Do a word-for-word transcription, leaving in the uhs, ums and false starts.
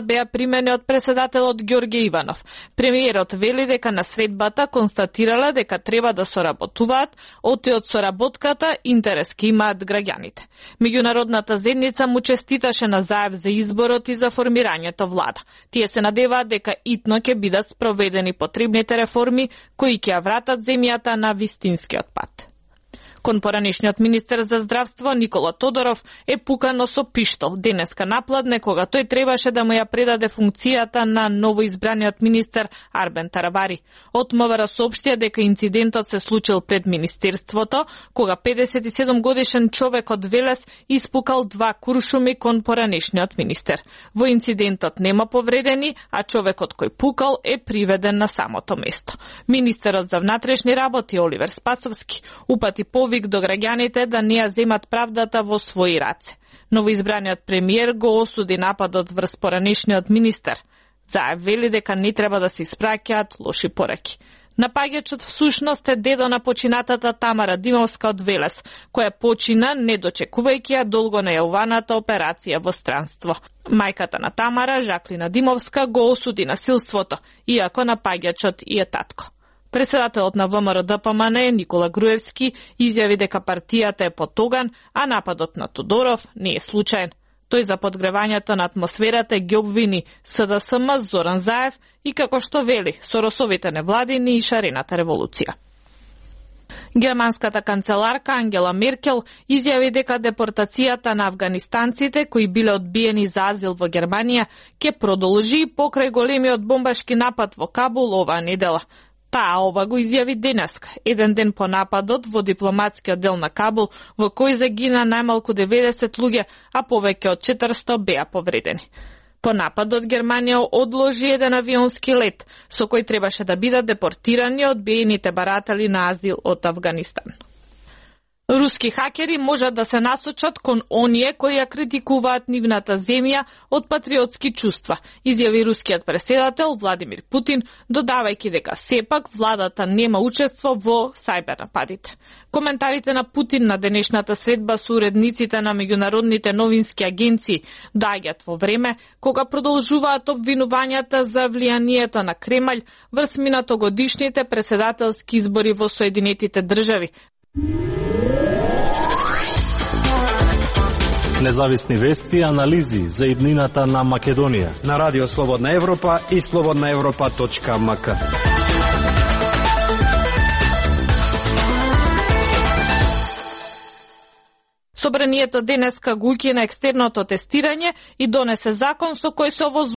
беа примени од преседателот Ѓорѓе Иванов. Премиерот вели дека на средбата констатирала дека треба да соработуваат, оти од соработката интерес ке имаат граѓаните. Меѓународната заедница му честиташе на Заев за изборот и за формирањето влада. Тие се надеваат дека итно ќе бидат спроведени потребните реформи кои ќе ја вратат земјата на вистинскиот пат. Кон поранешниот министер за здравство Никола Тодоров е пукано со пиштол денеска напладне, кога тој требаше да му ја предаде функцијата на новоизбраниот министер Арбен Тарабари. Од МВР соопштија дека инцидентот се случил пред министерството, кога педесет и седум годишен човек од Велес испукал два куршуми кон поранешниот министер. Во инцидентот нема повредени, а човекот кој пукал е приведен на самото место. Министерот за внатрешни работи Оливер Спасовски упати повик до граѓаните да не ја земат правдата во своји раце. Новоизбраниот премиер го осуди нападот врз поранешниот министер. Заев вели дека не треба да се испраќаат лоши пораки. Напаѓачот всушност е дедо на починатата Тамара Димовска од Велес, која почина не дочекувајќи ја долго најавуваната операција во странство. Мајката на Тамара, Жаклина Димовска, го осуди насилството, иако напаѓачот и е татко. Председателот на ВМРО-ДПМН Никола Груевски изјави дека партијата е потоган, а нападот на Тодоров не е случаен. Тој за подгревањето на атмосферата ги обвини СДСМ Зоран Заев и, како што вели, Соросовите невладини и шарената револуција. Германската канцеларка Ангела Меркел изјави дека депортацијата на афганистанците кои биле одбиени за азил во Германија ќе продолжи покрај големиот бомбашки напад во Кабул оваа недела. Таа ова го изјави денеска, еден ден по нападот во дипломатскиот дел на Кабул, во кој загина најмалку деветдесет луѓе, а повеќе од четиристо беа повредени. По нападот Германија одложи еден авионски лет, со кој требаше да бидат депортирани одбиените баратели на азил од Авганистан. Руски хакери можат да се насочат кон оние кои ја критикуваат нивната земја од патриотски чувства, изјави рускиот преседател Владимир Путин, додавајќи дека сепак владата нема учество во сајбер нападите. Коментарите на Путин на денешната средба со уредниците на меѓународните новински агенции доаѓаат во време кога продолжуваат обвинувањата за влијанието на Кремљ врз минатогодишните преседателски избори во Соединетите држави. Независни вести и анализи за иднината на Македонија на Радио Слободна Европа и слободна европа точка ем ка. Собранието денеска го укина екстерното тестирање и донесе закон со кој се овоз